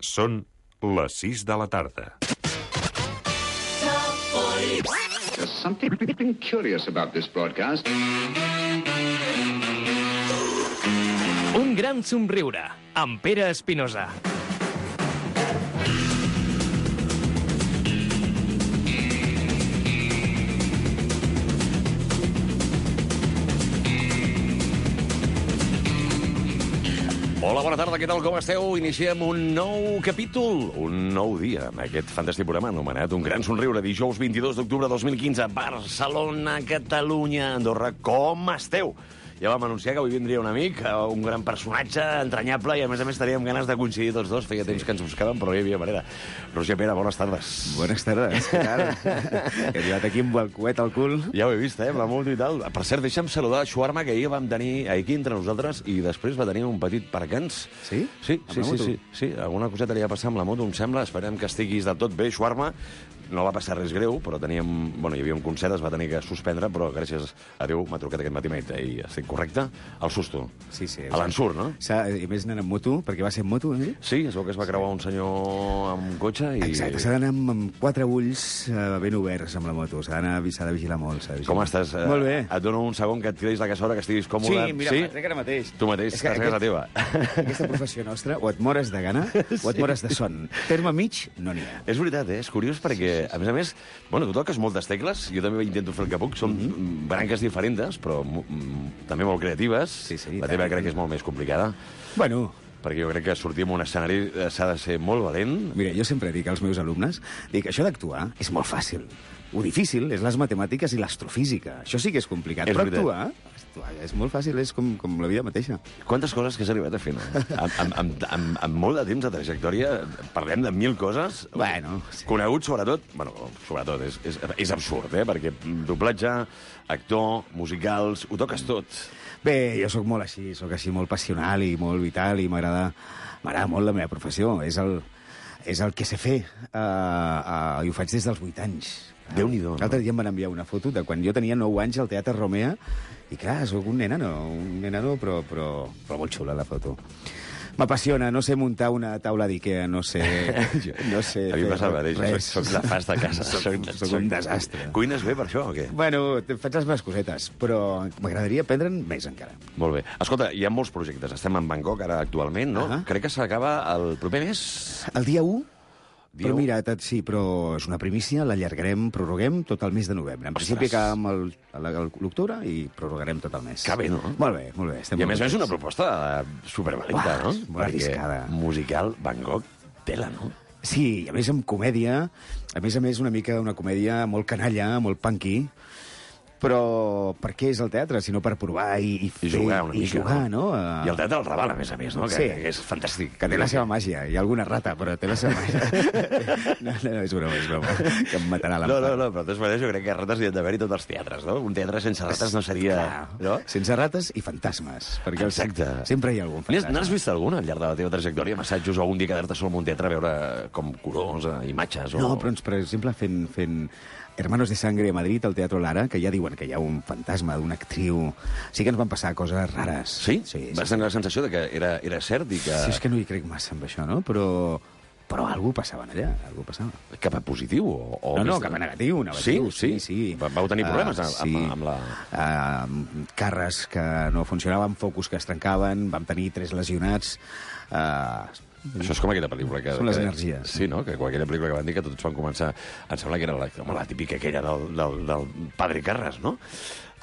Són les 6 de la tarda. There's something curious about this broadcast. Un gran somriure, amb Pere Espinosa. Hola, bona tarda, què tal, com esteu? Iniciem un nou capítol, un nou dia, amb aquest fantàstic programa anomenat Un gran somriure, dijous 22 d'octubre de 2015, Barcelona, Catalunya, Andorra. Com esteu? Ja vam anunciar que avui vindria un amic, un gran personatge, entranyable, i a més teníem ganes de coincidir tots dos. Feia temps que ens buscàvem, però no hi havia manera. Roger Pere, bones tardes. Buenas tardes, què tal? He arribat aquí amb el coet al cul. Ja ho he vist, amb la moto i tal. Per cert, deixa'm saludar Xuarma, que ahir vam tenir aquí entre nosaltres, i després va tenir un petit percans. Sí? Sí. Alguna coseta li va passar amb la moto, em sembla. Esperem que estiguis del tot bé, Xuarma. No va passar res greu, però teníem... Bueno, hi havia un concert, es va tenir que suspendre, però gràcies a Déu m'ha trucat aquest matí i estic correcte. El susto. Sí. A l'ensurt, no? I més anant amb moto, perquè va ser amb moto, eh? Sí, es veu que es va creuar un senyor amb un cotxe i... Exacte, s'ha d'anar amb quatre ulls ben oberts amb la moto. S'ha de vigilar molt. Com estàs? Molt bé. Et dono un segon que et tiris la cassola, que estiguis còmode. Sí, mira, trec ara mateix. Tu mateix, estàs a casa teva. Aquesta professió nostra, o et mores de gana, o et mores de son. Terme mig, no n'hi ha. És veritat, És curiós perquè, a més, bueno, tu toques moltes tecles, jo també intento fer el que puc, són branques diferents, però també molt creatives. Sí, la teva crec que és molt més complicada. Bueno... Perquè jo crec que sortir en un escenari s'ha de ser molt valent. Mira, jo sempre dic als meus alumnes, això d'actuar és molt fàcil. Ho difícil és les matemàtiques i l'astrofísica. Això sí que és complicat. És però veritat. actuar és molt fàcil, és com la vida mateixa. Quantes coses que has arribat a fer, no? Amb molt de temps de trajectòria, parlem de 1000 coses. Bueno, sí. Conegut, sobretot, és absurd, perquè doblatge, actor, musicals, ho toques tot. Bé, jo sóc molt així, molt passional i molt vital i m'agrada molt la meva professió. És el que sé fer i ho faig des dels 8 anys. Déu-n'hi-do. L'altre dia em van enviar una foto de quan jo tenia 9 anys al Teatre Romea i clar, sóc un nenano, però molt xula la foto. M'apassiona, no sé muntar una taula d'Ikea, no sé... A mi passa el mateix, soc la fas de casa. Soc un desastre. Cuines bé per això, o què? Bueno, faig les meves cosetes, però m'agradaria aprendre'n més encara. Molt bé. Escolta, hi ha molts projectes. Estem en Bangkok ara actualment, no? Crec que s'acaba el proper mes. El dia 1? Però mira, sí, però és una primícia, l'allargarem, prorroguem tot el mes de novembre. En principi acabem l'octubre i prorrogarem tot el mes. Que bé, no? Molt bé. I a més és una proposta supervalenta, no? Molt arriscada. Musical, Bangkok, tela, no? Sí, i a més amb comèdia, a més una mica una comèdia molt canalla, molt punky, però per què és el teatre? Sinó per provar i jugar una mica, jugar, no? I el teatre el Raval, a més, no? Sí. Que és fantàstic. Que té la seva màgia. Hi ha alguna rata, però té la seva màgia. No, és broma. Que em matarà l'enfant. No, però de totes maneres jo crec que rates hi ha d'haver-hi tots els teatres, no? Un teatre sense rates no seria... No? Sense rates i fantasmes. Perquè exacte. Sempre hi ha algun fantasma. N'has vist algun al llarg de la teva trajectòria? Massatges o algun dia quedar-te sol en un teatre a veure com colors, imatges? No, però per exemple, fent Hermanos de Sangre a Madrid, al Teatro Lara, que ja diuen que hi ha un fantasma d'una actriu. Sí que ens van passar coses rares. Sí? Vas tenir la sensació de que era cert i que... Sí, és que no hi crec massa amb això, no? Però algú passava allà, algú passava. Cap a positiu? No, cap a negatiu. Sí. Vau tenir problemes amb la... Carres que no funcionaven, focus que es trencaven, vam tenir 3 lesionats... Això és com aquella pel·lícula que... Són les energies. Sí, no? Que aquella pel·lícula que van dir que tots van començar... Em sembla que era la típica aquella del Padre Carras, no?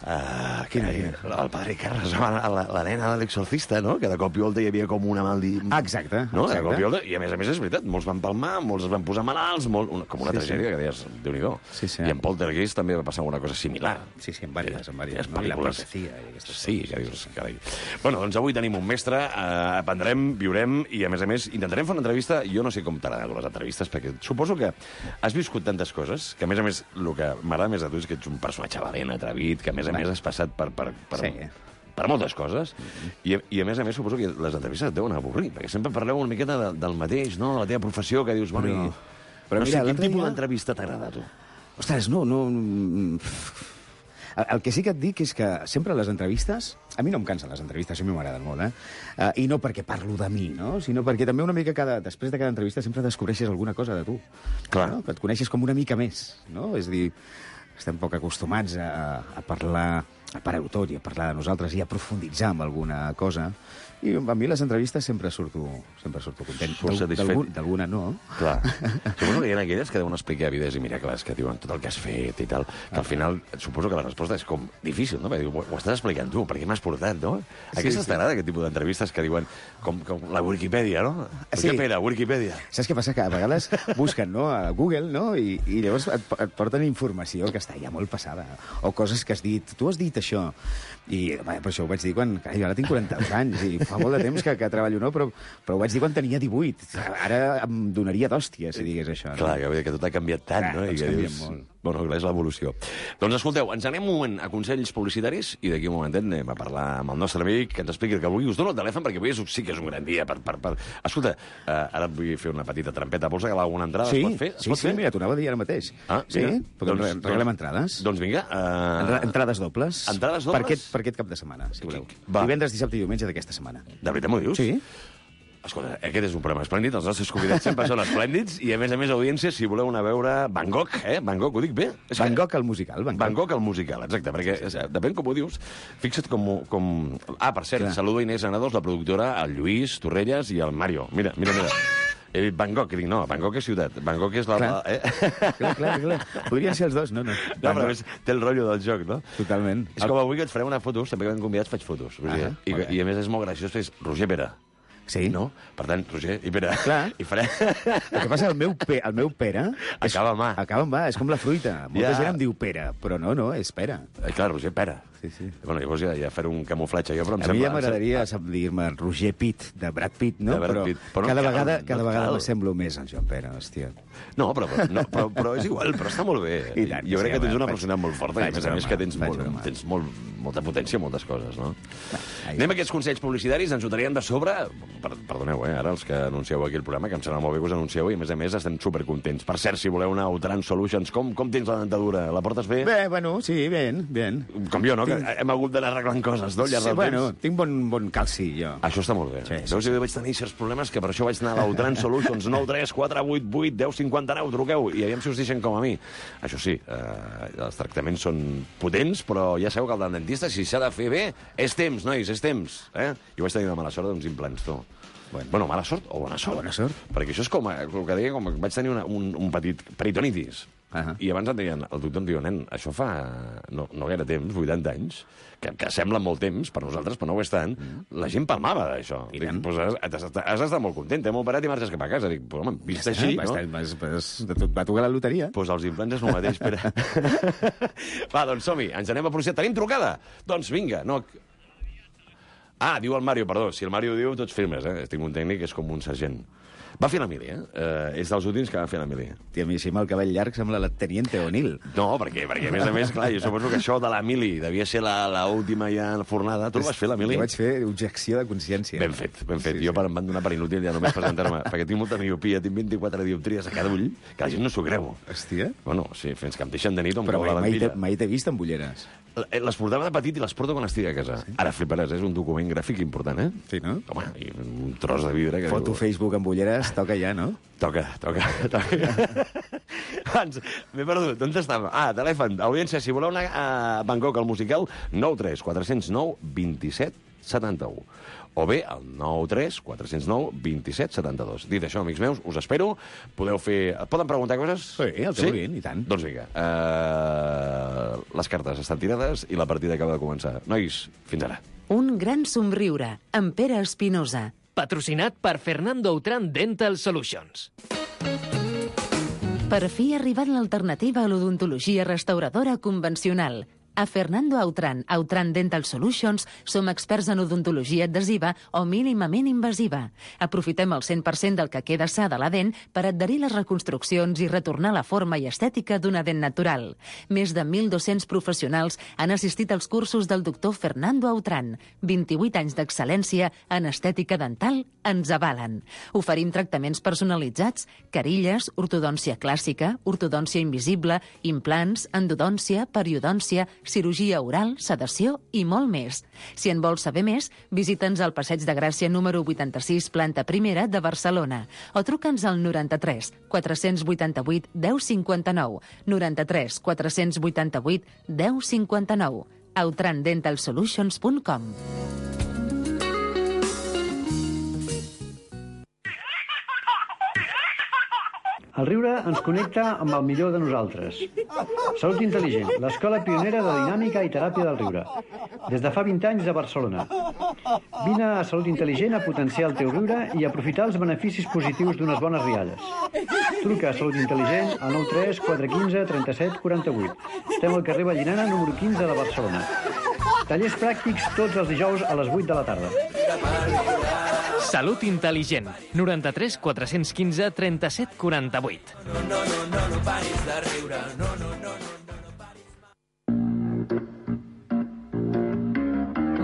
Quina? El Padre Carras, la nena de l'exorcista, no? Que de cop i volta hi havia com una Exacte. No? De cop i volta, i a més és veritat, molts van palmar, molts es van posar malalts, com una tragèdia que deies, Déu-n'hi-do. Sí. I en Poltergeist també va passar alguna cosa similar. Sí, en diverses. No? I la profecia. Sí, que dius, carai. Bueno, doncs avui tenim un mestre, aprendrem, viurem, i a més intentarem fer una entrevista. Jo no sé com t'agraden les entrevistes, perquè suposo que has viscut tantes coses, que a més, el que m'agrada més a tu és que ets un personatge valent, atrevit, que a més has passat per moltes coses, i a més suposo que les entrevistes et deuen avorrir, perquè sempre parleu una miqueta del mateix, no? De la teva professió, que dius, bueno, però no mira, sé, quin tipus d'entrevista t'agrada a tu? Ostres, no... El que sí que et dic és que sempre les entrevistes... A mi no em cansen les entrevistes, a mi m'agraden molt, I no perquè parlo de mi, no? Sinó perquè també una mica després de cada entrevista sempre descobreixes alguna cosa de tu. Clar. No? Que et coneixes com una mica més, no? És a dir, estem poc acostumats a parlar, a parar-ho tot i a parlar de nosaltres i a profunditzar en alguna cosa. I a mi les entrevistes sempre surto content. Surts satisfet. D'alguna no. Clar. Suposo que hi ha aquelles que deuen explicar vides i miracles, que diuen tot el que has fet i tal, que al final suposo que la resposta és com difícil, no? Perquè diu, ho estàs explicant tu, per què m'has portat, no? Aquestes t'agrada, aquest tipus d'entrevistes que diuen com la Wikipedia, no? Sí. Què pera, Wikipedia? Saps què passa? Que a vegades busquen, no?, a Google, no?, i llavors et porten informació que està ja molt passada. O coses que has dit. Tu has dit això. I per això ho vaig dir quan... Jo ara tinc 40 anys i fa molt de temps que treballo, no? Però ho vaig dir quan tenia 18. Ara em donaria d'hòstia si digués això. Clar, que tot ha canviat tant, no? I que dius... molt. Bueno, clar, és l'evolució. Doncs escolteu, ens anem un moment a consells publicitaris i d'aquí un momentet anem a parlar amb el nostre amic que ens expliqui el que vulgui. Us dono el telèfon perquè avui sí que és un gran dia per... Escolta, ara et vull fer una petita trampeta. Vols regalar alguna entrada? Sí, es pot fer? sí, mira, t'ho anava a dir ara mateix. Ah, sí? Doncs, Regalem entrades. Doncs vinga. Entrades dobles. Entrades dobles? Per aquest cap de setmana, si voleu. Va. Divendres, dissabte i diumenge d'aquesta setmana. De veritat m'ho dius? Sí. Escolta, aquest és un programa esplèndid, els nostres convidats sempre són esplèndids, i a més, audiència, si voleu anar a veure Van Gogh, Van Gogh, ho dic bé? Van Gogh el musical. Van Gogh el musical, exacte, perquè depèn com ho dius. Fixa't com... Ah, per cert, saludo Inés Granados, la productora, el Lluís Torrelles i el Mario. Mira. He dit Van Gogh, que dic, no, Van Gogh és ciutat. Van Gogh és la... Clar. Podrien ser els dos, no. No, però a més, té el rotllo del joc, no? Totalment. És com avui que et farem una foto, sempre que ven convidats faig fotos. I a més és molt graciós, és Roger Pera. Sí. No? Per tant, Roger i Pere. Clar. I farem... El que passa, el meu pera... Acaba amb A. Acaba amb A, és com la fruita. Molta gent em diu pera, però no, és pera. Clar, Roger Pera. Sí. Bueno, llavors ja faré un camuflatge jo, però em a sembla... mi ja m'agradaria dir-me Roger Pitt, de Brad Pitt, no? De Brad Pitt. Però cada no vegada cal. m'assemblo més al Joan Pere, hòstia. No, però és igual, però està molt bé. I tant, jo crec que tens una faig- personalitat molt forta, i a més que tens broma. molta potència en moltes coses, no? Anem a aquests consells publicitaris, ens ho traiem de sobre... Perdoneu, ara els que anuncieu aquí el programa, que em sembla molt bé que us anuncieu, i a més estem supercontents. Per cert, si voleu una Outran Solutions, com tens la dentadura? La portes bé? Bé, bueno, sí, ben. Com jo, no? Que hem hagut d'anar arreglant coses, no? Al llarg del temps. Tinc bon calci, jo. Això està molt bé. Sí. Veus, jo vaig tenir certs problemes que per això vaig anar a l'Outran Solutions 9 3 4 8 8 10 59, truqueu, i aviam si us deixen com a mi. Això sí, els tractaments són potents, però ja sabeu que el dentista, si s'ha de fer bé, és temps, nois, és temps. Jo vaig tenir una mala sort d'uns implants, tu. Bueno, mala sort o bona sort? Bona sort. Perquè això és com el que deia, com vaig tenir un petit peritonitis. I abans el doctor em diu, nen, això fa no gaire temps, 80 anys, que sembla molt temps per nosaltres, però no ho és tant, la gent palmava d'això. Dic, pues has d'estar molt content, t'hem operat i marxes cap a casa. Dic, pues home, vist així, no? Va tocar la loteria. Pues els implants és el mateix, Pere. Va, doncs som-hi, ens anem a processar. Tenim trucada? Doncs vinga, no... Ah, diu el Mario, perdó. Si el Mario diu, tots firmes, Tinc un tècnic que és com un sergent. Va fer la mili, És dels últims que va fer la mili. Tia, a mi, si amb el cabell llarg sembla la Teniente O'Neill. No, perquè a més, clar, jo suposo que això de la mili devia ser l'última ja fornada. Tu vas fer la mili? Jo vaig fer objecció de consciència. Ben fet. Sí. Jo em van donar per inútil ja només presentar-me, perquè tinc molta miopia, tinc 24 dioptries a cada ull, que la gent no s'ho creu. Hòstia. Bueno, sí, fins que em deixen de nit o em però cau la lentilla. mai t'he vist amb ulleres. Les portava de petit i les porto quan estic a casa. Sí. Ara fliparàs, és un document gràfic important, Sí, no? Home, i un tros de vidre... Foto Facebook amb ulleres, toca ja, no? Toca. Abans, m'he perdut. On estava? Telèfon. Audiència, si voleu anar a Bangkok al musical, 93 409 27 71. O bé, el 93 409 27 72. Dit això, amics meus, us espero. Poden preguntar coses? Sí, el que vulguin, i tant. Doncs vinga. Les cartes estan tirades i la partida acaba de començar. Nois, fins ara. Un gran somriure, amb Pere Espinosa. Patrocinat per Fernando Outran Dental Solutions. Per fi ha arribat l'alternativa a l'odontologia restauradora convencional. A Fernando Outran Dental Solutions som experts en odontologia adhesiva o mínimament invasiva. Aprofitem el 100% del que queda sa de la dent per adherir les reconstruccions i retornar la forma i estètica d'una dent natural. Més de 1.200 professionals han assistit als cursos del doctor Fernando Outran. 28 anys d'excel·lència en estètica dental ens avalen. Oferim tractaments personalitzats, carilles, ortodòncia clàssica, ortodòncia invisible, implants, endodòncia, periodòncia, cirurgia oral, sedació i molt més. Si en vols saber més, visita'ns al Passeig de Gràcia número 86, planta primera de Barcelona, o truca'ns al 93 488 1059, 93 488 1059, outrandentalsolutions.com. El riure ens connecta amb el millor de nosaltres. Salut Intel·ligent, l'escola pionera de dinàmica i teràpia del riure. Des de fa 20 anys a Barcelona. Vine a Salut Intel·ligent a potenciar el teu riure i aprofitar els beneficis positius d'unes bones rialles. Truca a Salut Intel·ligent al 93 415 37 48. Estem al carrer Vallirana, número 15 de Barcelona. Tallers pràctics tots els dijous a les 8 de la tarda. Salut Intel·ligent. 93 415 37 48. No paris de riure.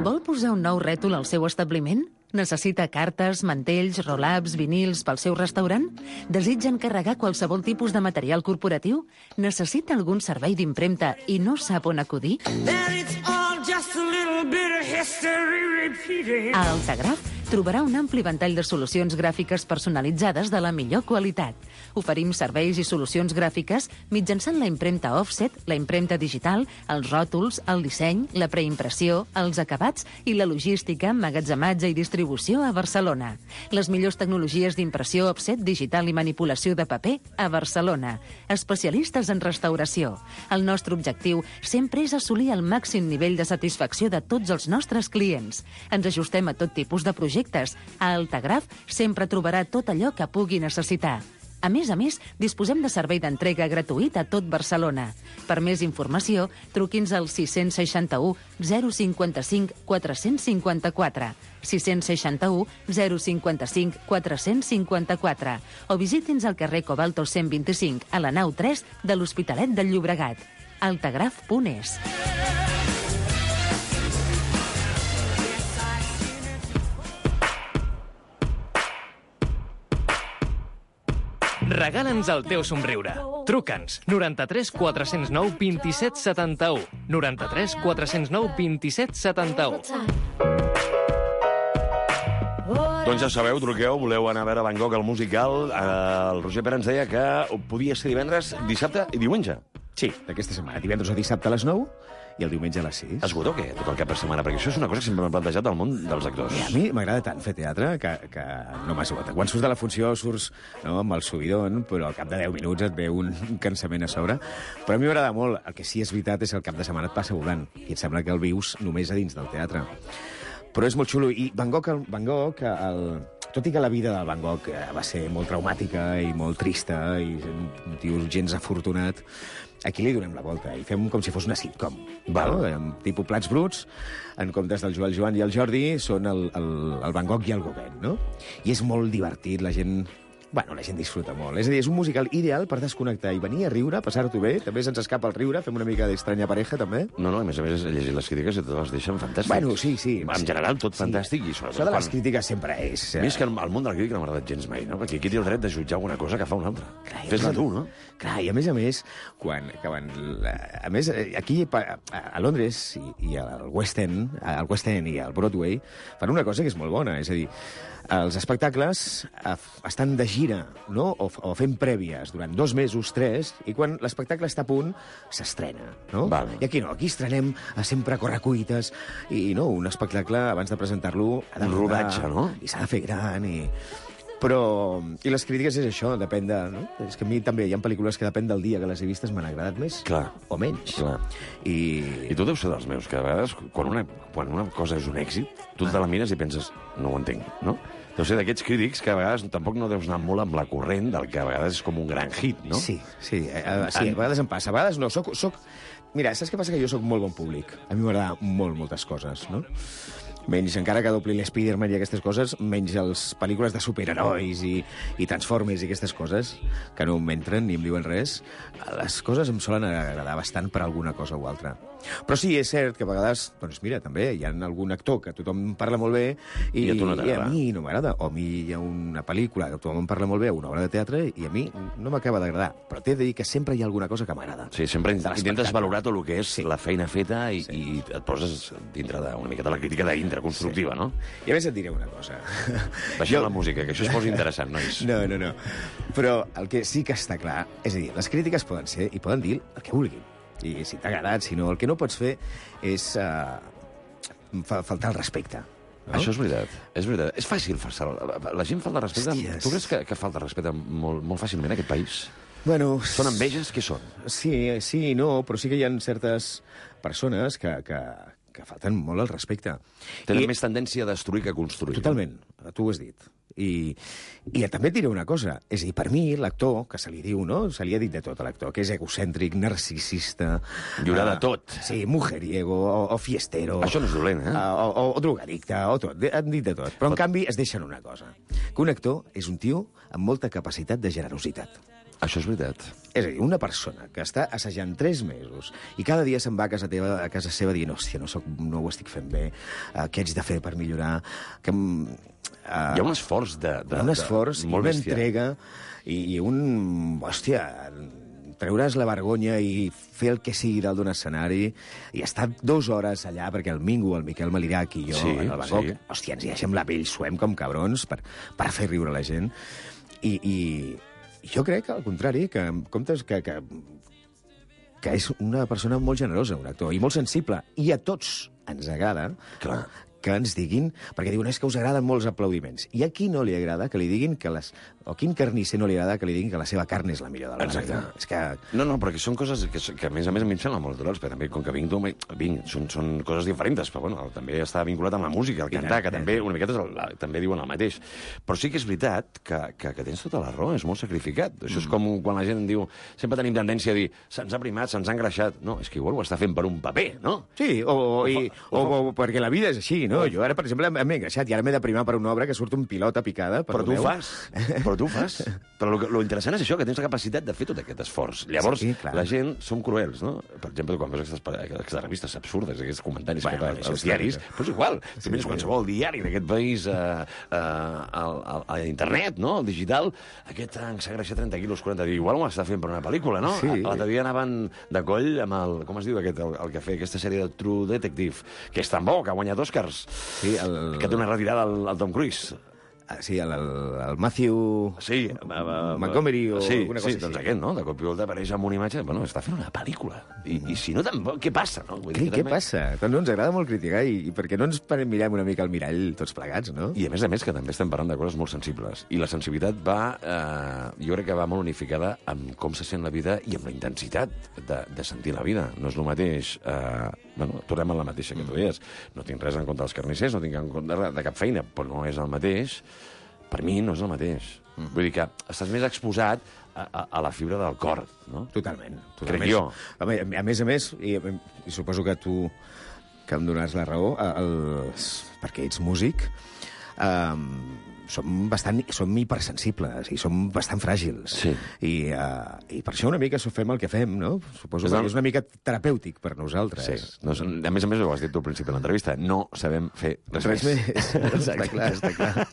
Vol posar un nou rètol al seu establiment? Necessita cartes, mantells, roll-ups, vinils pel seu restaurant? Desitja encarregar qualsevol tipus de material corporatiu? Necessita algun servei d'impremta i no sap on acudir? A Altagraf trobarà un ampli ventall de solucions gràfiques personalitzades de la millor qualitat. Oferim serveis i solucions gràfiques mitjançant la impremta offset, la impremta digital, els ròtols, el disseny, la preimpressió, els acabats i la logística, emmagatzematge i distribució a Barcelona. Les millors tecnologies d'impressió offset, digital i manipulació de paper a Barcelona. Especialistes en restauració. El nostre objectiu sempre és assolir el màxim nivell de satisfacció de tots els nostres clients. Ens ajustem a tot tipus de projectes. A Altagraf sempre trobarà tot allò que pugui necessitar. A més, disposem de servei d'entrega gratuït a tot Barcelona. Per més informació, truqui'ns al 661 055 454, 661 055 454, o visiti'ns al carrer Cobalto 125, a la nau 3 de l'Hospitalet del Llobregat. Altagraf.es. Regala'ns el teu somriure. Truca'ns 93 409 27 71, 93 409 27 71. Doncs ja sabeu, truqueu, voleu anar a veure Van Gogh al musical. El Roger Pera ens deia que podia ser divendres, dissabte i diumenge. Sí, d'aquesta setmana. Divendres o dissabte a les 9 i el diumenge a les 6. Esgota o què? Tot el cap de setmana? Perquè això és una cosa que sempre m'he plantejat al món dels actors. I a mi m'agrada tant fer teatre que no m'esgota. Quan surts de la funció surts amb el subidon, però al cap de 10 minuts et ve un cansament a sobre. Però a mi m'agrada molt. El que sí és veritat és que el cap de setmana et passa volant i et sembla que el vius només a dins del teatre. Però és molt xulo. I Van Gogh, tot i que la vida del Van Gogh va ser molt traumàtica i molt trista i un tio gens afortunat, aquí li donem la volta i fem com si fos una sitcom. Val? Tipus Plats Bruts, en comptes del Joan i el Jordi, són el Van Gogh i el Gauguin, no? I és molt divertit, la gent disfruta molt. És a dir, és un musical ideal per desconnectar i venir a riure, passar-t'ho bé. També se'ns escapa el riure, fem una mica d'estranya pareja, també. No, a més he llegit les crítiques i totes les deixen fantàstics. Bueno, sí. En general, tot fantàstic. I això de les crítiques sempre és... A mi és que el món de la crítica no m'ha agradat gens mai, no? Perquè aquí té el dret de jutjar alguna cosa que fa una altra. Fes-la tu, no? Clar, i a més, aquí a Londres i al West End i al Broadway fan una cosa que és molt bona, és a dir, els espectacles estan de gira, no? O fent prèvies durant 2 mesos, 3, i quan l'espectacle està a punt, s'estrena, no? Vale. I aquí no, aquí estrenem sempre a correcuites, i no, un espectacle, abans de presentar-lo... Un rodatge, no? I s'ha de fer gran, I les crítiques és això, depèn de... No? És que a mi també hi ha pel·lícules que depèn del dia que les he vistes m'han agradat més o menys. Clar. I tu deus ser dels meus, que a vegades quan una cosa és un èxit, tu te la mires i penses, no ho entenc, no? Deu ser d'aquests crítics que a vegades tampoc no deus anar molt amb la corrent del que a vegades és com un gran hit, no? Sí, a vegades em passa. A vegades no, Mira, saps què passa? Que jo sóc molt bon públic. A mi m'agrada moltes coses, no? Menys, encara que dobli l'Spiderman i aquestes coses, menys les pel·lícules de superherois i Transformers i aquestes coses, que no m'entren ni em diuen res, les coses em solen agradar bastant per alguna cosa o altra. Però sí, és cert que a vegades, doncs mira, també hi ha algun actor que tothom parla molt bé I a tu no t'agrada. a mi no m'agrada. O a mi hi ha una pel·lícula que tothom parla molt bé, una obra de teatre, i a mi no m'acaba d'agradar. Però t'he de dir que sempre hi ha alguna cosa que m'agrada. Sí, sempre intentes l'espectacle. valorar tot el que és la feina feta i et poses dintre una miqueta la crítica dintre, constructiva, no? I a més et diré una cosa. Baixem la música, que això es posa interessant, nois. No. Però el que sí que està clar, és a dir, les crítiques poden ser i poden dir el que vulguin. I si t'ha agradat, si no, el que no pots fer és faltar el respecte. No? Això és veritat, és veritat. És fàcil faltar. La gent falta respecte. Hòsties. Tu creus que falta respecte molt fàcilment en aquest país? Bueno, Són enveges? Què són? sí i no, però sí que hi ha certes persones que falten molt el respecte. Tenen més tendència a destruir que a construir. Totalment, tu ho has dit. I també et diré una cosa, és a dir, per mi, l'actor, que se li diu, no? Se li ha dit de tot a l'actor, que és egocèntric, narcisista... Hi haurà de tot. Sí, mujeriego, o fiestero... Això no és dolent, eh? O drogadicte, o tot, han dit de tot. Però, en canvi, es deixen una cosa, que un actor és un tio amb molta capacitat de generositat. Això és veritat. És a dir, una persona que està assajant 3 mesos i cada dia se'n va a casa seva dient hòstia, no ho estic fent bé, què haig de fer per millorar... Que, Hi ha un esforç un esforç i molt una bèstia. entrega i un... Hòstia, treure's la vergonya i fer el que sigui dalt d'un escenari i estar 2 hores allà perquè el Mingo, el Miquel Malirac i jo, Sí, en el Bangkok, sí. hòstia, ens hi deixem la pell suem com cabrons per fer riure la gent. I jo crec, al contrari, que en comptes que és una persona molt generosa, un actor, i molt sensible, i a tots ens agrada Clar. que ens diguin, perquè diuen és que us agraden molts aplaudiments. I a qui no li agrada que li diguin que o quin carnisser no li agrada que li diguin que la seva carn és la millor del món. Exacte. És que... No, però que són coses que a més a mi em semblen molt naturals, perquè també, com que són coses diferents, però bueno, també està vinculat amb la música, el cantar, que també una miqueta també diuen el mateix. Però sí que és veritat que tens tota la raó, és molt sacrificat. Això és com quan la gent diu, sempre tenim tendència a dir, se'ns ha primat, se'ns ha engreixat. No, és que igual ho està fent per un paper, no? Sí, o perquè la vida és així, no? Jo ara, per exemple, m'he engreixat i ara m'he de primar per una obra que surt un pilot a picada. Però tu ho fas. Però lo interessant és això, que tens la capacitat de fer tot aquest esforç. Llavors, Sí, clar. la gent som cruels, no? Per exemple, quan veus aquestes revistes absurdes, aquests comentaris que fan això als és diaris, clar. doncs igual, si vens qualsevol diari d'aquest país a internet, no?, al digital, aquest s'ha engreixat 30 quilos, 40 dies, igual ho està fent per una pel·lícula, no? Sí. L'altre dia anaven de coll amb el... Com es diu aquest, el que feia aquesta sèrie de True Detective, que és tan bo, que ha guanyat Oscars, Sí, que té una retirada al Tom Cruise. Sí, el Matthew... Sí, Montgomery o alguna cosa sí, doncs aquest, no? De cop i volta apareix amb una imatge... Bueno, està fent una pel·lícula. I si no, tampoc, què passa, no? Vull dir que Què també... passa? Doncs no ens agrada molt criticar i per què no ens mirem una mica al mirall tots plegats, no? I a més, que també estem parlant de coses molt sensibles. I la sensibilitat va... jo crec que va molt unificada amb com se sent la vida i amb la intensitat de sentir la vida. No és el mateix... tornem a la mateixa que tu deies. No tinc res en contra dels carnissers, no tinc en contra de cap feina, però no és el mateix. Per mi no és el mateix. Vull dir que estàs més exposat a la fibra del cor, no? Totalment. Crec jo. A més, i suposo que tu que em donaràs la raó, perquè ets músic, som hipersensibles i som bastant fràgils. Sí. I per això una mica fem el que fem, no? Suposo que és una mica terapèutic per nosaltres. Sí. No, a més, ho has dit tu al principi de l'entrevista, no sabem fer res més. Està clar.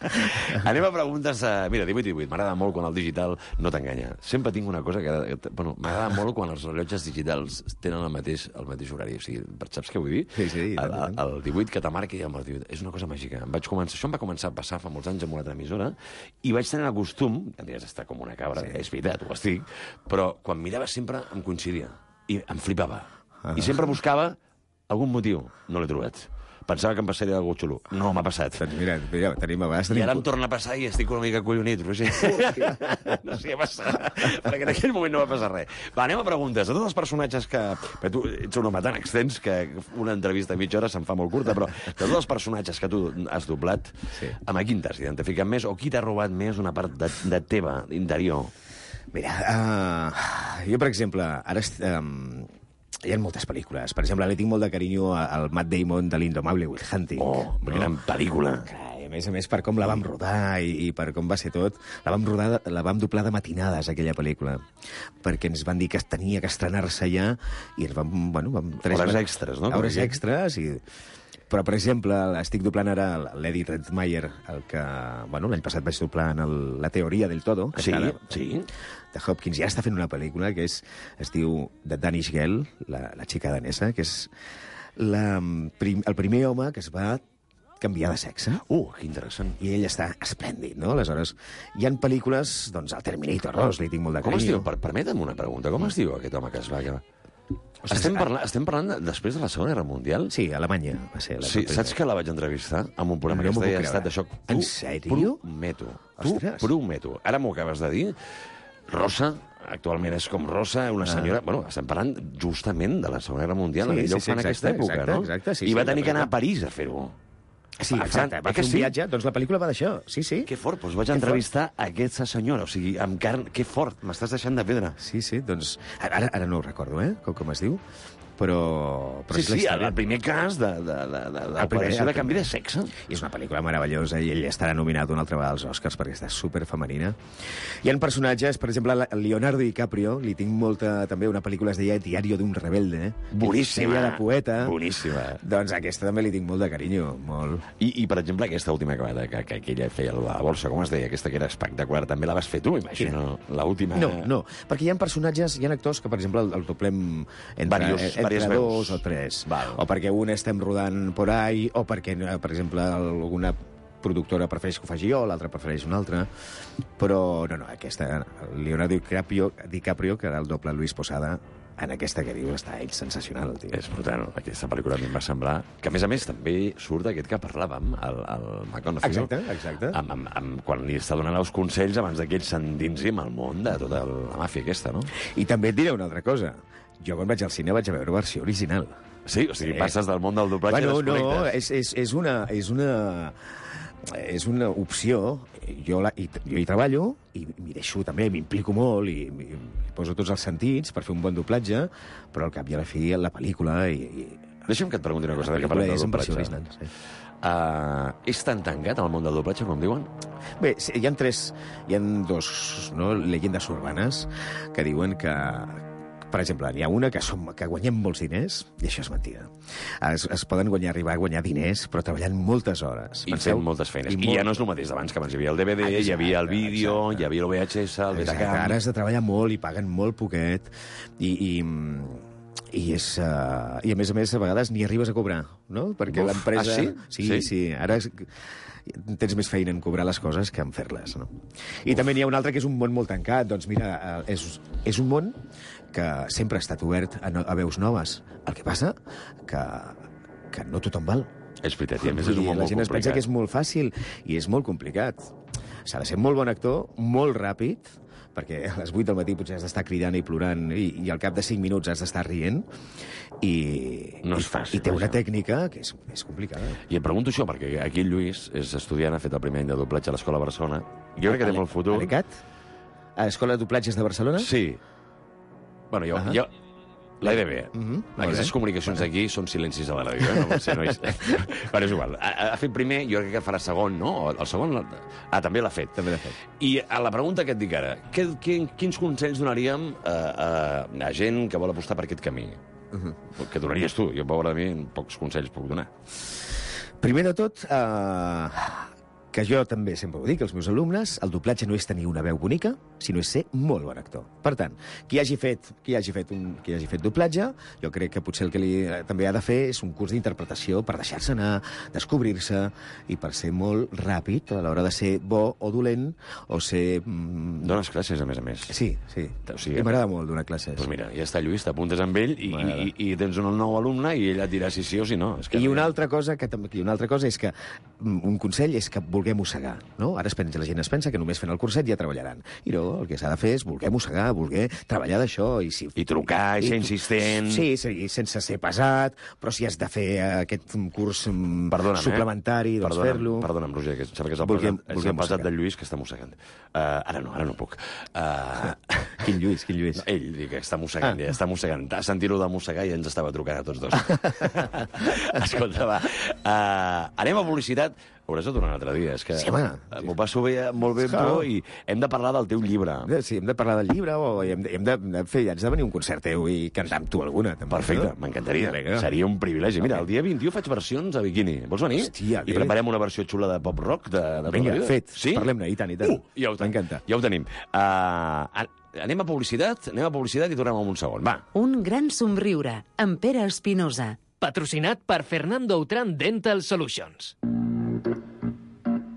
Anem a preguntes... Mira, 18-18, m'agrada molt quan el digital no t'enganya. Sempre tinc una cosa que... Bueno, m'agrada molt quan els rellotges digitals tenen el mateix horari. O sigui, saps què vull dir? Sí. El 18 que te marca i el 18. És una cosa màgica. Això em va començar a passar fa molts anys amb una altra emissora i vaig tenir el costum, em diràs, està com una cabra, és veritat, ho estic, però quan mirava sempre em coincidia i em flipava. I sempre buscava algun motiu. No l'he trobat. Pensava que em passaria alguna xulo. No m'ha passat. Doncs mira, tenim abans... I ara em torna a passar i estic una mica collonit, Roger. No sé què passa, perquè en aquell moment no va passar res. Va, anem a preguntes. A tots els personatges que... Perquè tu ets un home tan extens que una entrevista a mitja hora se'n fa molt curta, però de tots els personatges que tu has doblat, amb quin t'has identificat més o qui t'ha robat més una part de teva interior? Mira, jo, per exemple, ara... hi ha moltes pel·lícules. Per exemple, li tinc molt de carinyo al Matt Damon de l'Indomable Will Hunting. Oh, gran pel·lícula. A a més, per com la vam rodar i per com va ser tot, la vam doblar de matinades, aquella pel·lícula, perquè ens van dir que tenia que estrenar-se ja, i vam... Hores extres, no? Hores extres, i... Però, per exemple, estic doblant ara l'Eddie Redmayne, el que, l'any passat vaig doblar en La teoria del todo. Sí. De Hopkins. Ja està fent una pel·lícula que es diu The Danish Girl, la xica danesa, que és el primer home que es va canviar de sexe. Que interessant. I ell està esplèndid, no? Aleshores, hi ha pel·lícules, doncs, el Terminator 2, li tinc molt de Com es carinyo. diu? Permetem una pregunta. Com es diu aquest home que es va acabar? Estem parlant després de la Segona Guerra Mundial? Sí, a Alemanya va ser. Sí, saps que la vaig entrevistar en un programa que es deia Estat de Xoc? En sèrio? Prometo. Ara m'ho acabes de dir. Rosa, actualment és com Rosa, una senyora... Estem parlant justament de la Segona Guerra Mundial. Ella ho fa en aquesta època, no? Exacte, I va tenir que anar a París a fer-ho. Sí, exacte. Va fer un viatge, doncs la pel·lícula va d'això. Sí. Que fort, doncs vaig entrevistar aquesta senyora, o sigui, amb carn... Que fort, m'estàs deixant de pedra. Sí, doncs... Ara no ho recordo, com es diu, però sí, el primer cas d'operació de canvi de sexe. I és una pel·lícula meravellosa i ell estarà nominat una altra vegada als Oscars perquè està superfemenina. Hi ha personatges, per exemple, Leonardo DiCaprio, li tinc molta... També una pel·lícula es deia Diario d'un rebelde. Boníssima. Ella de poeta. Boníssima. Doncs aquesta també li tinc molt de carinyo, molt. I per exemple, aquesta última que ella feia la bolsa, com es deia? Aquesta que era espectacular, també la vas fer tu, imagino. L'última... No, perquè hi ha personatges, hi ha actors que, per exemple, el doblem entre 2 o 3. Val. O perquè un estem rodant por ahí, o perquè, per exemple, alguna productora prefereix que ho faci jo, l'altra prefereix una altra. Però, no, aquesta, Leonardo DiCaprio, que era el doble Luis Posada, en aquesta que dius està ell sensacional, el tio. És brutal. Aquesta pel·lícula a mi em va semblar... Que, a més, també surt aquest que parlàvem, el McConaughey. Exacte. Quan li està donant els consells abans que ell s'endinsi en el món de tota la màfia aquesta, no? I també et diré una altra cosa. Jo, quan vaig al cine, vaig a veure versió original. Sí? O sigui, passes del món del doblatge i desconnectes. És una opció. Jo hi treballo i m'hi deixo també, m'implico molt i poso tots els sentits per fer un bon doblatge, però al cap i a la fi la pel·lícula Deixa'm que et pregunti una cosa. La pel·lícula és en versió original. Sí. És tan tancat el món del doblatge, com diuen? Bé, hi ha dos llegendes urbanes que diuen que, per exemple, n'hi ha una que guanyem molts diners, i això és mentida. Es poden arribar a guanyar diners, però treballant moltes hores. I fent moltes feines. I ja no és el mateix d'abans, que abans hi havia el DVD, hi havia el vídeo, hi havia el VHS, el Betacam... Ara has de treballar molt i paguen molt poquet, i a més, a vegades ni arribes a cobrar, no? Perquè l'empresa... Sí? Sí. Ara tens més feina en cobrar les coses que en fer-les, no? I també n'hi ha un altre que és un món molt tancat. Doncs mira, és un món que sempre ha estat obert a veus noves. El que passa que no tothom val. És veritat, i a més és un món molt complicat. La gent es pensa que és molt fàcil i és molt complicat. S'ha de ser molt bon actor, molt ràpid, perquè a les 8 del matí potser has d'estar cridant i plorant i al cap de 5 minuts has d'estar rient no és fàcil, i té una tècnica que és complicada. I em pregunto això, perquè aquí el Lluís és estudiant, ha fet el primer any de doblatge a l'Escola Barcelona. Jo crec que té molt futur. L'ECAT? A l'Escola de Doblatges de Barcelona? Sí. Bueno, jo l'EDB. Aquestes comunicacions d'aquí són silencis a la ràdio, no? Però és igual. Ha fet primer, jo crec que farà segon, no? El segon... també l'ha fet. I a la pregunta que et dic ara, quins consells donaríem a gent que vol apostar per aquest camí? Què donaries tu? Jo, pobre de mi, pocs consells puc donar. Primer de tot, que jo també sempre ho dic als meus alumnes, el doblatge no és tenir una veu bonica, sinó és ser molt bon actor. Per tant, qui hagi fet doblatge, jo crec que potser el que també ha de fer és un curs d'interpretació per deixar-se anar, descobrir-se, i per ser molt ràpid a l'hora de ser bo o dolent, o ser... Dones classes, a més. Sí. O sigui, m'agrada molt donar classes. Doncs mira, ja està, Lluís, t'apuntes amb ell i tens un nou alumne i ell et dirà si sí o si no. I una altra cosa és que un consell és que vulguem mossegar, no? Ara la gent es pensa que només fent el curset ja treballaran. I no, el que s'ha de fer és voler mossegar, voler treballar d'això. I trucar, i ser insistent... Sí, sense ser pesat, però si has de fer aquest curs suplementari, doncs fer-lo... Perdona'm, Roger, que sembla que és el pesat del Lluís que està mossegant. Ara no puc. Quin Lluís? No, ell, dic que està mossegant, ja està mossegant. Ha sentit-ho de mossegar i ens estava trucant a tots dos. Escolta, va. Anem a publicitat. Hauràs de tornar un altre dia. És que Sí, home. m'ho passo molt bé amb tu i hem de parlar del teu llibre. Sí, hem de parlar del llibre o hem de fer... Haig de venir a un concert teu i cantar amb tu alguna. També, Perfecte, no? m'encantaria. Vinga. Seria un privilegi. Mira, el dia 21 faig versions a biquini. Vols venir? Hòstia, I preparem una versió xula de pop-rock de Vinga, tota la vida. fet. Sí? Parlem-ne, i tant, i tant. M'encanta. Ja ho tenim. Anem a publicitat i tornem en un segon. Va. Un gran somriure, amb Pere Espinosa. Patrocinat por Fernando Autrán Dental Solutions.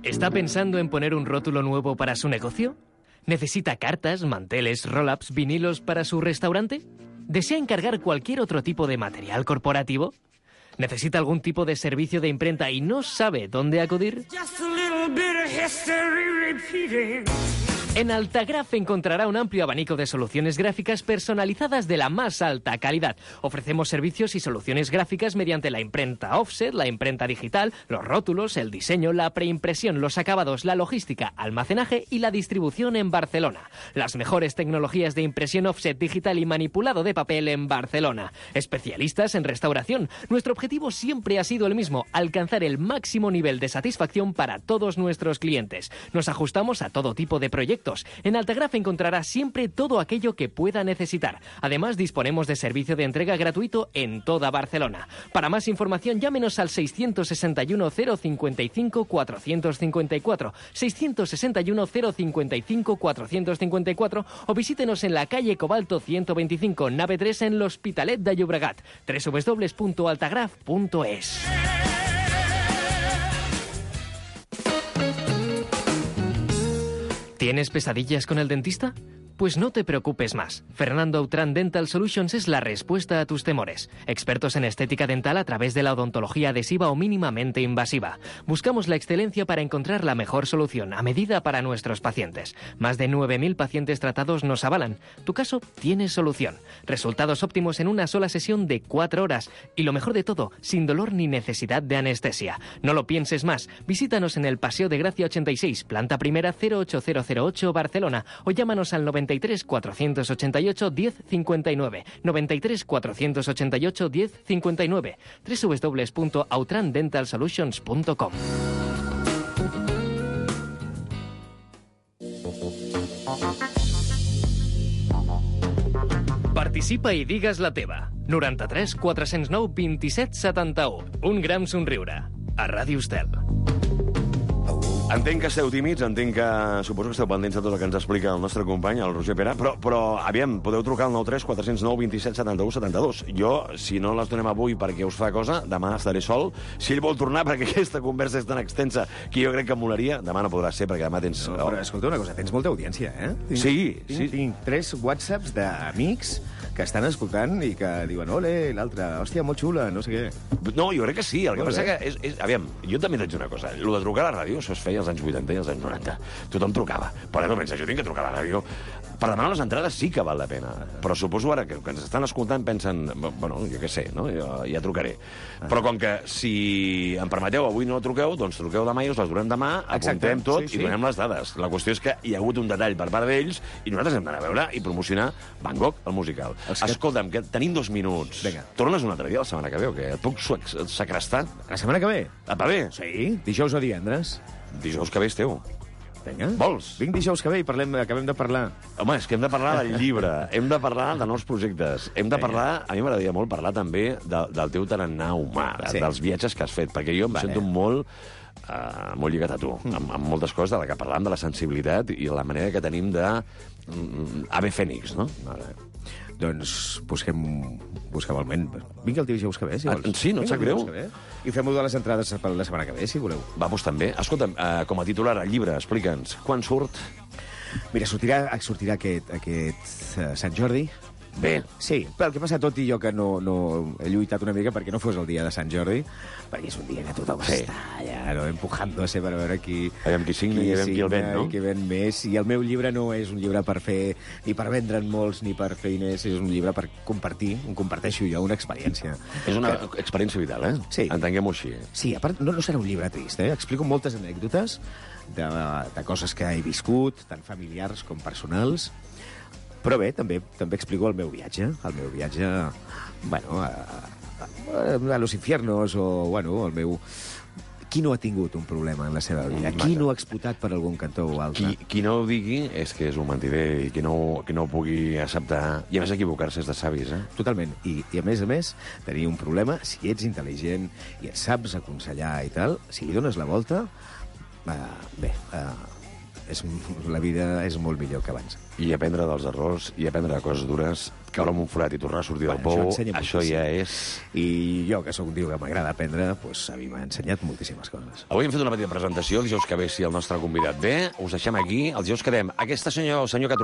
¿Está pensando en poner un rótulo nuevo para su negocio? ¿Necesita cartas, manteles, roll-ups, vinilos para su restaurante? ¿Desea encargar cualquier otro tipo de material corporativo? ¿Necesita algún tipo de servicio de imprenta y no sabe dónde acudir? En Altagraph encontrará un amplio abanico de soluciones gráficas personalizadas de la más alta calidad. Ofrecemos servicios y soluciones gráficas mediante la imprenta offset, la imprenta digital, los rótulos, el diseño, la preimpresión, los acabados, la logística, almacenaje y la distribución en Barcelona. Las mejores tecnologías de impresión offset digital y manipulado de papel en Barcelona. Especialistas en restauración. Nuestro objetivo siempre ha sido el mismo, alcanzar el máximo nivel de satisfacción para todos nuestros clientes. Nos ajustamos a todo tipo de proyectos. En Altagraph encontrará siempre todo aquello que pueda necesitar. Además, disponemos de servicio de entrega gratuito en toda Barcelona. Para más información, llámenos al 661 055 454, 661 055 454 o visítenos en la calle Cobalto 125, nave 3 en l'Hospitalet de Llobregat. www.altagraph.es. ¿Tienes pesadillas con el dentista? Pues no te preocupes más. Fernando Autrán Dental Solutions es la respuesta a tus temores. Expertos en estética dental a través de la odontología adhesiva o mínimamente invasiva. Buscamos la excelencia para encontrar la mejor solución a medida para nuestros pacientes. Más de 9.000 pacientes tratados nos avalan. Tu caso tiene solución. Resultados óptimos en una sola sesión de 4 horas. Y lo mejor de todo, sin dolor ni necesidad de anestesia. No lo pienses más. Visítanos en el Paseo de Gracia 86, planta primera 08008 Barcelona o llámanos al 93 488 1059, 93 488 1059, www.autrandentalsolutions.com. Participa i digues la teva. 93 409 27 71. Un gran somriure. A Ràdio Estel. Entenc que esteu tímids, entenc que suposo que esteu pendents de tot el que ens explica el nostre company, el Roger Pera, però aviam, podeu trucar al 93 409 27 71 72. Jo, si no les donem avui perquè us fa cosa, demà estaré sol. Si ell vol tornar, perquè aquesta conversa és tan extensa que jo crec que molaria, demà no podrà ser, perquè demà tens... No, però escolta una cosa, tens molta audiència, eh? Tinc 3 whatsapps d'amics que estan escoltant i que diuen, ole, l'altra, hòstia, molt xula, no sé què. No, jo crec que sí, el que passa que és... Aviam, jo també t'haig una cosa, el de trucar a la ràdio, això es feia als anys 80 i als anys 90. Tothom trucava. Però no pensa, jo tinc que trucar a la ràdio. Per demanar les entrades sí que val la pena. Però suposo ara que ens estan escoltant pensen, bueno, jo què sé, no? Ja trucaré. Però com que si em permeteu, avui no truqueu, doncs truqueu demà i us les donem demà, apuntem tot i donem les dades. La qüestió és que hi ha hagut un detall per part d'ells i nosaltres hem d'anar a veure i promocionar Van Gogh, el musical. Escolta'm, que tenim 2 minuts. Vinga. Tornes un altre dia la setmana que ve o què? Et puc secrestar? La setmana que ve? Va bé? Sí, dijous o divendres. Dijous que ve és teu. Vinga. Vols? Vinc dijous que ve i acabem de parlar. Home, és que hem de parlar del llibre, hem de parlar de nous projectes, hem de parlar, a mi m'agradaria molt parlar també del teu tarannà humà, dels viatges que has fet, perquè jo em sento molt lligat a tu, amb moltes coses de la que parlàvem, de la sensibilitat i la manera que tenim de ave fènix, no? Vale. Doncs busquem el moment. Vinc el dijous que ve, si vols. Sí, no et sap greu? I fem-ho de les entrades per la setmana que ve, si voleu. Va, doncs també. Escolta'm, com a titular, el llibre, explica'ns, quan surt? Mira, sortirà aquest Sant Jordi. Bé. Sí, però el que passa tot i jo que no he lluitat una mica perquè no fos el dia de Sant Jordi, perquè és un dia que tothom està allà, empujándose per veure qui... Aviam qui signa i aviam qui el ven, no? I qui ven més. I el meu llibre no és un llibre per fer, ni per vendre'n molts, ni per fer diners, és un llibre per compartir, comparteixo jo, una experiència. És una experiència vital, eh? Sí. Entenguem-ho així. Sí, a part, no serà un llibre trist, eh? Explico moltes anècdotes de coses que he viscut, tant familiars com personals, Però bé, també explico el meu viatge, bueno, a los infiernos, o, bueno, el meu... Qui no ha tingut un problema en la seva vida? Qui no ha explotat per algun cantó o altre? Qui no ho digui és que és un mentider, i qui no ho pugui acceptar, i a més equivocar-se és de savis, Totalment. I a més, tenir un problema, si ets intel·ligent i et saps aconsellar i tal, si li dones la volta, la vida és molt millor que abans. I aprendre dels errors, i aprendre de coses dures, caure en un forat i tornar a sortir del pou, això ja és... I jo, que sóc un tio que m'agrada aprendre, doncs a mi m'ha ensenyat moltíssimes coses. Avui hem fet una petita presentació, el dijous que ve, si el nostre convidat ve, us deixem aquí, el dijous quedem. Aquest senyor que